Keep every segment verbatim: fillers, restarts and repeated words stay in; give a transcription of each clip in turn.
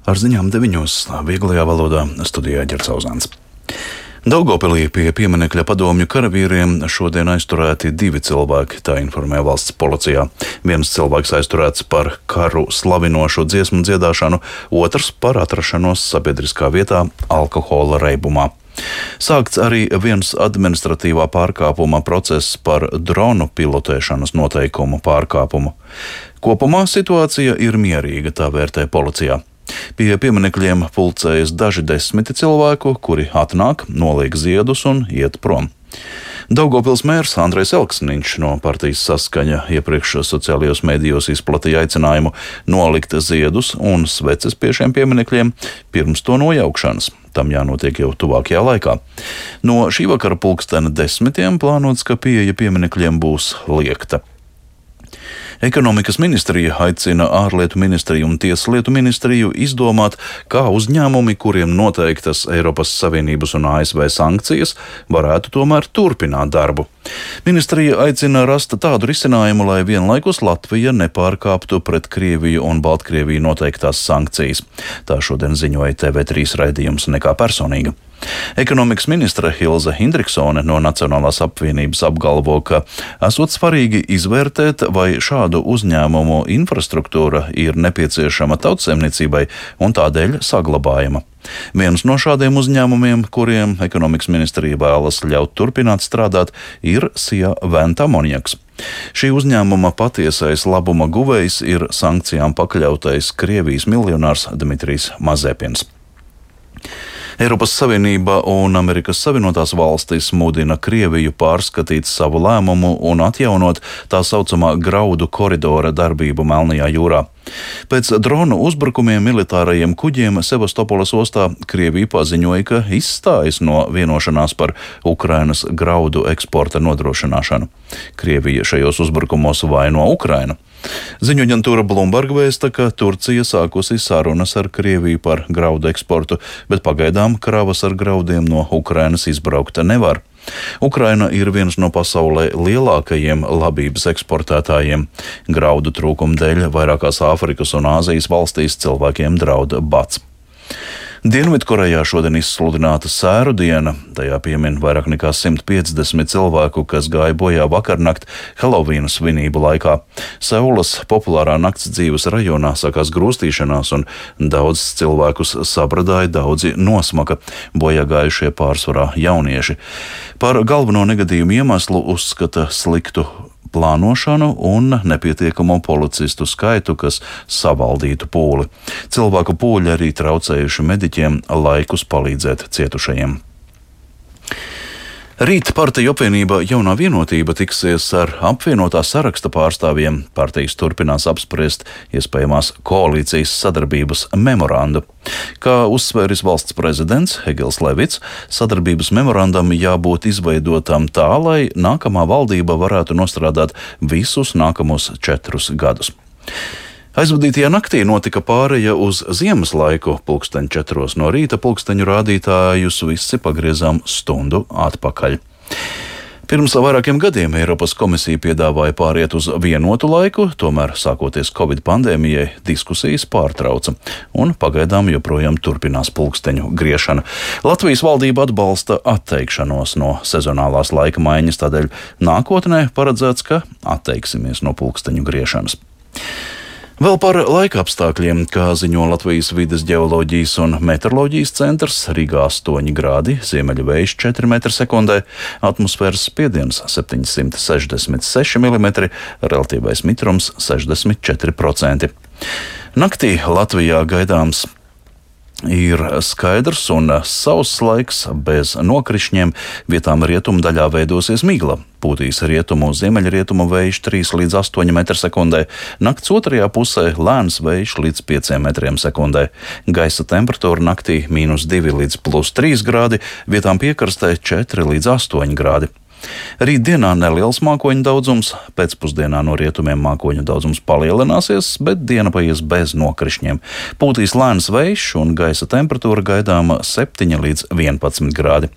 Ar ziņām deviņos vieglajā valodā studijā Ģercauzāns. Daugavpilī pie pieminekļa padomju karavīriem šodien aizturēti divi cilvēki, tā informē valsts policijā. Viens cilvēks aizturēts par karu slavinošu dziesmu dziedāšanu, otrs par atrašanos sabiedriskā vietā alkohola reibumā. Sākts arī viens administratīvā pārkāpuma process par dronu pilotēšanas noteikumu pārkāpumu. Kopumā situācija ir mierīga, tā vērtē policijā. Pie pieminekļiem pulcējas daži desmiti cilvēku, kuri atnāk, noliek ziedus un iet prom. Daugavpils mērs Andrejs Elksniņš no partijas Saskaņa iepriekš sociālajos medijos izplatīja aicinājumu nolikt ziedus un sveces pie šiem pieminekļiem pirms to nojaukšanas. Tam jānotiek jau tuvākajā laikā. No šī vakara pulkstena desmitiem plānots, ka pieeja pieminekļiem būs liegta. Ekonomikas ministrija aicina ārlietu ministriju un tieslietu ministriju izdomāt, kā uzņēmumi, kuriem noteiktas Eiropas Savienības un A S V sankcijas, varētu tomēr turpināt darbu. Ministrija aicina rast tādu risinājumu, lai vienlaikus Latvija nepārkāptu pret Krieviju un Baltkrieviju noteiktās sankcijas. Tā šodien ziņoja T V trīs raidījums Nekā personīga. Ekonomikas ministre Hilze Hindriksone no Nacionālās apvienības apgalvo, ka esot svarīgi izvērtēt, vai šādu uzņēmumu infrastruktūra ir nepieciešama tautsaimniecībai un tādēļ saglabājama. Viens no šādiem uzņēmumiem, kuriem ekonomikas ministrija vēlas ļaut turpināt strādāt, ir Sija Venta Amoniaks. Šī uzņēmuma patiesais labuma guvējs ir sankcijām pakļautais Krievijas miljonārs Dmitrijs Mazepins. Eiropas Savienība un Amerikas Savienotās valstis mudina Krieviju pārskatīt savu lēmumu un atjaunot tā saucamā graudu koridora darbību Melnajā jūrā. Pēc dronu uzbrukumiem militārajiem kuģiem Sevastopoles ostā Krievija paziņoja, ka izstājas no vienošanās par Ukrainas graudu eksporta nodrošināšanu. Krievija šajos uzbrukumos vaino Ukrainu. Ziņu aģentūra Bloomberg vēsta, ka Turcija sākusi sarunas ar Krieviju par graudu eksportu, bet pagaidām kravas ar graudiem no Ukrainas izbraukt nevar. Ukraina ir viens no pasaulē lielākajiem labības eksportētājiem. Graudu trūkuma dēļ vairākās Āfrikas un Āzijas valstīs cilvēkiem draud bats. Dienvidkorejā šodien izsludināta sēru diena. Tajā piemin vairāk nekā simt piecdesmit cilvēku, kas gāja bojā vakarnakt Helovīna svinību laikā. Seulas populārā nakts dzīves rajonā sākās grūstīšanās un daudz cilvēkus sabradāja, daudzi nosmaka, bojā gājušie pārsvarā jaunieši. Par galveno negadījumu iemeslu uzskata sliktu plānošanu un nepietiekamo policistu skaitu, kas savaldītu pūli. Cilvēku pūļi arī traucējuši mediķiem laikus palīdzēt cietušajiem. Rīt partiju apvienība Jaunā vienotība tiksies ar apvienotā saraksta pārstāvjiem. Partijas turpinās apspriest iespējamās koalīcijas sadarbības memorandu. Kā uzsvēris valsts prezidents Egils Levits, sadarbības memorandam jābūt izveidotam tā, lai nākamā valdība varētu nostrādāt visus nākamos četrus gadus. Aizvadītajā naktī notika pāreja uz ziemas laiku. Pulksteņu četros no rīta pulksteņu rādītājus visi pagriezām stundu atpakaļ. Pirms vairākiem gadiem Eiropas komisija piedāvāja pāriet uz vienotu laiku, tomēr sākoties Covid pandēmijai diskusijas pārtrauca un pagaidām joprojām turpinās pulksteņu griešana. Latvijas valdība atbalsta atteikšanos no sezonālās laika maiņas, tādēļ nākotnē paredzēts, ka atteiksimies no pulksteņu griešanas. Vēl par laika apstākļiem, kā ziņo Latvijas vides ģeoloģijas un meteoroloģijas centrs, Rīgā astoņi grādi, ziemeļu vējš četri metri sekundē, atmosfēras spiediens septiņsimt sešdesmit seši milimetri, relatīvais mitrums sešdesmit četri procenti. Naktī Latvijā gaidāms ir skaidrs un sauss laiks bez nokrišņiem, vietām rietumu daļā veidosies migla. Pūtīs rietumu ziemeļrietumu vējš trīs līdz astoņi metri sekundē, nakts otrajā pusē lēns vējš līdz pieciem metriem sekundē. Gaisa temperatūra naktī mīnus divi līdz plus trīs grādi, vietām piekrastē četri līdz astoņi grādi. Rītdienā neliels mākoņu daudzums, pēcpusdienā no rietumiem mākoņu daudzums palielināsies, bet diena paies bez nokrišņiem. Pūtīs lēns vējš un gaisa temperatūra gaidāma septiņi līdz vienpadsmit grādi.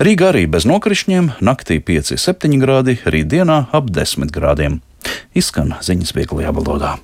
Rīgā arī bez nokrišņiem, naktī pieci septiņi grādi, rītdienā ap desmit grādiem. Izskan ziņas vieglajā valodā.